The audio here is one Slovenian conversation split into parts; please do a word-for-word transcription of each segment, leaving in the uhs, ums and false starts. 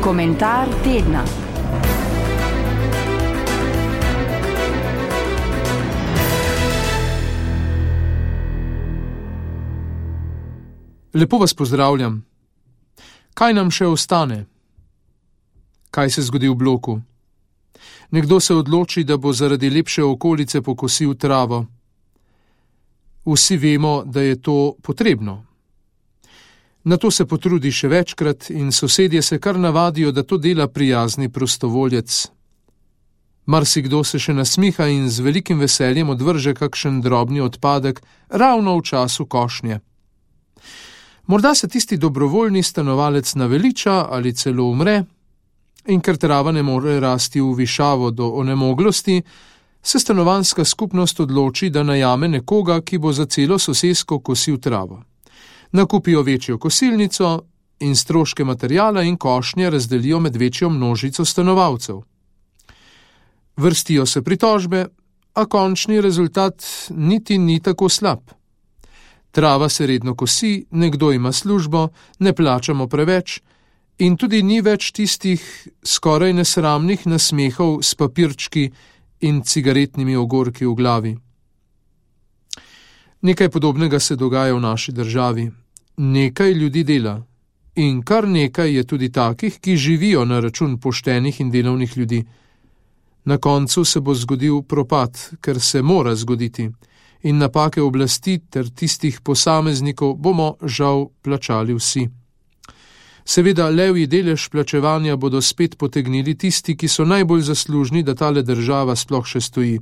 Komentar tedna. Lepo vas pozdravljam. Kaj nam še ostane? Kaj se zgodi v bloku? Nekdo se odloči, da bo zaradi lepše okolice pokosil travo. Vsi vemo, da je to potrebno. Na to se potrudi še večkrat in sosedje se kar navadijo, da to dela prijazni prostovoljec. Marsikdo se še nasmiha in z velikim veseljem odvrže kakšen drobni odpadek ravno v času košnje. Morda se tisti dobrovoljni stanovalec naveliča ali celo umre, in ker trava ne more rasti v višavo do onemoglosti, se stanovanjska skupnost odloči, da najame nekoga, ki bo za celo sosesko kosil travo. Nakupijo večjo kosilnico in stroške materiala in košnje razdelijo med večjo množico stanovalcev. Vrstijo se pritožbe, a končni rezultat niti ni tako slab. Trava se redno kosi, nekdo ima službo, ne plačamo preveč in tudi ni več tistih skoraj nesramnih nasmehov s papirčki in cigaretnimi ogorki v glavi. Nekaj podobnega se dogaja v naši državi. Nekaj ljudi dela in kar nekaj je tudi takih, ki živijo na račun poštenih in delovnih ljudi. Na koncu se bo zgodil propad, ker se mora zgoditi, in napake oblasti ter tistih posameznikov bomo žal plačali vsi. Seveda levji delež plačevanja bodo spet potegnili tisti, ki so najbolj zaslužni, da tale država sploh še stoji.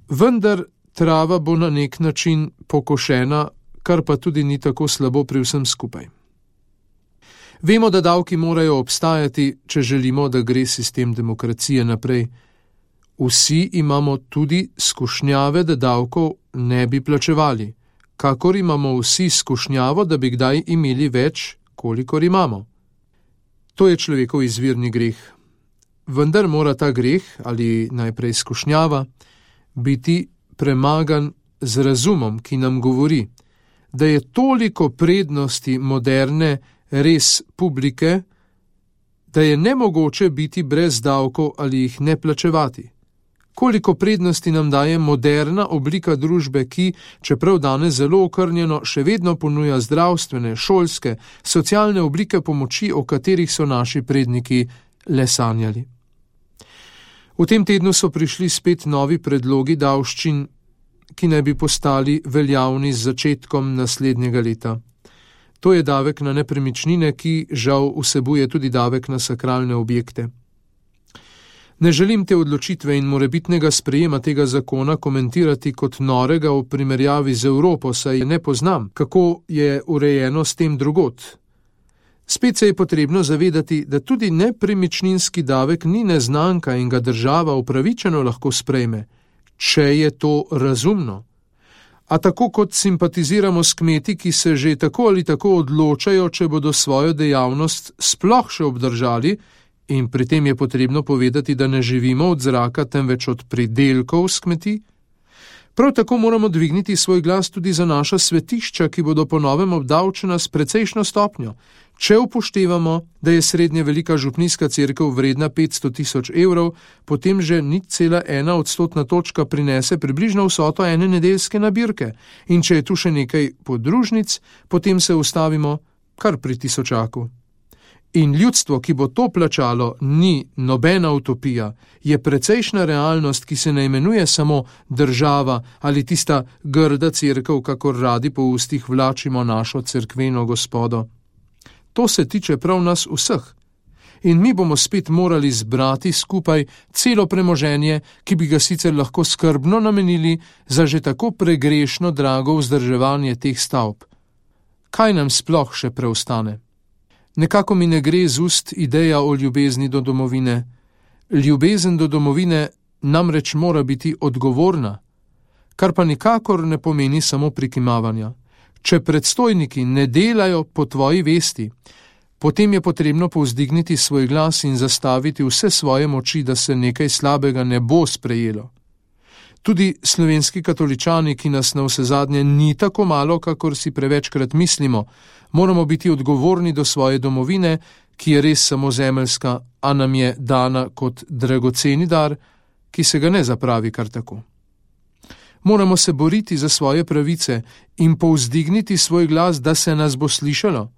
Vendar trava bo na nek način pokošena, kar pa tudi ni tako slabo pri vsem skupaj. Vemo, da davki morajo obstajati, če želimo, da gre sistem demokracije naprej. Vsi imamo tudi skušnjave, da davkov ne bi plačevali, kakor imamo vsi skušnjavo, da bi kdaj imeli več, kolikor imamo. To je človekov izvirni greh. Vendar mora ta greh, ali najprej skušnjava, biti premagan z razumom, ki nam govori, da je toliko prednosti moderne res publike, da je nemogoče biti brez davkov ali jih ne plačevati. Koliko prednosti nam daje moderna oblika družbe, ki, čeprav danes zelo okrnjeno, še vedno ponuja zdravstvene, šolske, socialne oblike pomoči, o katerih so naši predniki le sanjali. V tem tednu so prišli spet novi predlogi davščin, ki naj bi postali veljavni z začetkom naslednjega leta. To je davek na nepremičnine, ki žal vsebuje tudi davek na sakralne objekte. Ne želim te odločitve in morebitnega sprejema tega zakona komentirati kot norega v primerjavi z Evropo, saj ne poznam, kako je urejeno s tem drugod. Spet se je potrebno zavedati, da tudi nepremičninski davek ni neznanka in ga država upravičeno lahko sprejme, če je to razumno. A tako kot simpatiziramo s kmeti, ki se že tako ali tako odločajo, če bodo svojo dejavnost sploh še obdržali, in pri tem je potrebno povedati, da ne živimo od zraka, temveč od pridelkov s kmetij, prav tako moramo dvigniti svoj glas tudi za naša svetišča, ki bodo po novem obdavčena s precejšno stopnjo. Če upoštevamo, da je srednje velika župnijska cerkev vredna petsto tisoč evrov, potem že nič cela ena odstotna točka prinese približno vsoto ene nedeljske nabirke. In če je tu še nekaj podružnic, potem se ustavimo kar pri tisočaku. In ljudstvo, ki bo to plačalo, ni nobena utopija, je precejšna realnost, ki se ne imenuje samo država ali tista grda cerkev, kakor radi po ustih vlačimo našo cerkveno gospodo. To se tiče prav nas vseh. In mi bomo spet morali zbrati skupaj celo premoženje, ki bi ga sicer lahko skrbno namenili za že tako pregrešno drago vzdrževanje teh stavb. Kaj nam sploh še preostane? Nekako mi ne gre z ust ideja o ljubezni do domovine. Ljubezen do domovine namreč mora biti odgovorna, kar pa nikakor ne pomeni samo prikimavanja. Če predstojniki ne delajo po tvoji vesti, potem je potrebno povzdigniti svoj glas in zastaviti vse svoje moči, da se nekaj slabega ne bo sprejelo. Tudi slovenski katoličani, ki nas na vsezadnje ni tako malo, kakor si prevečkrat mislimo, moramo biti odgovorni do svoje domovine, ki je res samo zemeljska, a nam je dana kot dragoceni dar, ki se ga ne zapravi kar tako. Moramo se boriti za svoje pravice in povzdigniti svoj glas, da se nas bo slišalo.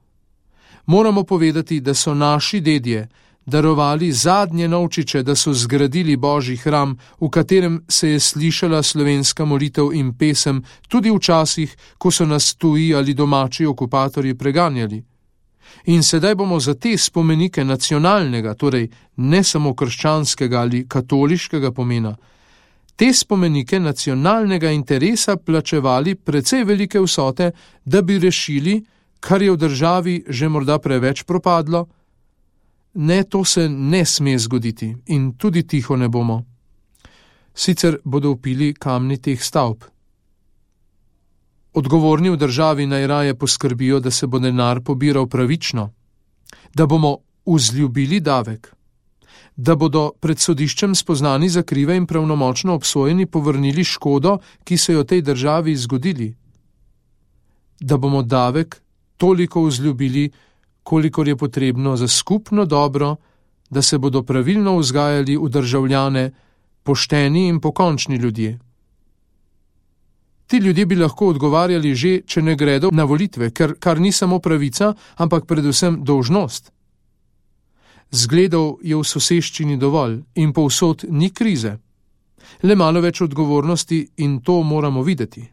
Moramo povedati, da so naši dedje darovali zadnje novčiče, da so zgradili Božji hram, v katerem se je slišala slovenska molitev in pesem tudi v časih, ko so nas tuji ali domači okupatorji preganjali. In sedaj bomo za te spomenike nacionalnega, torej ne samo krščanskega ali katoliškega pomena, te spomenike nacionalnega interesa plačevali precej velike vsote, da bi rešili, kar je v državi že morda preveč propadlo. Ne, to se ne sme zgoditi in tudi tiho ne bomo. Sicer bodo vpili kamni teh stavb. Odgovorni v državi najraje poskrbijo, da se bo denar pobiral pravično, da bomo vzljubili davek, da bodo pred sodiščem spoznani za krive in pravnomočno obsojeni povrnili škodo, ki se jo tej državi zgodili, da bomo davek toliko vzljubili, kolikor je potrebno za skupno dobro, da se bodo pravilno vzgajali v državljane pošteni in pokončni ljudje. Ti ljudje bi lahko odgovarjali že, če ne gredo na volitve, ker kar ni samo pravica, ampak predvsem dolžnost. Zgledov je v soseščini dovolj in povsod ni krize. Le malo več odgovornosti in to moramo videti.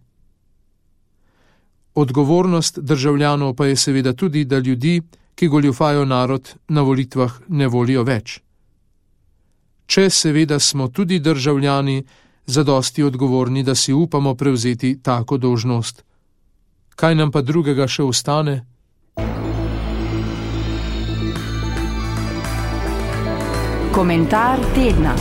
Odgovornost državljanov pa je seveda tudi, da ljudi, ki goljufajo narod, na volitvah ne volijo več. Če seveda smo tudi državljani zadosti odgovorni, da si upamo prevzeti tako dolžnost. Kaj nam pa drugega še ostane? Komentar tedna.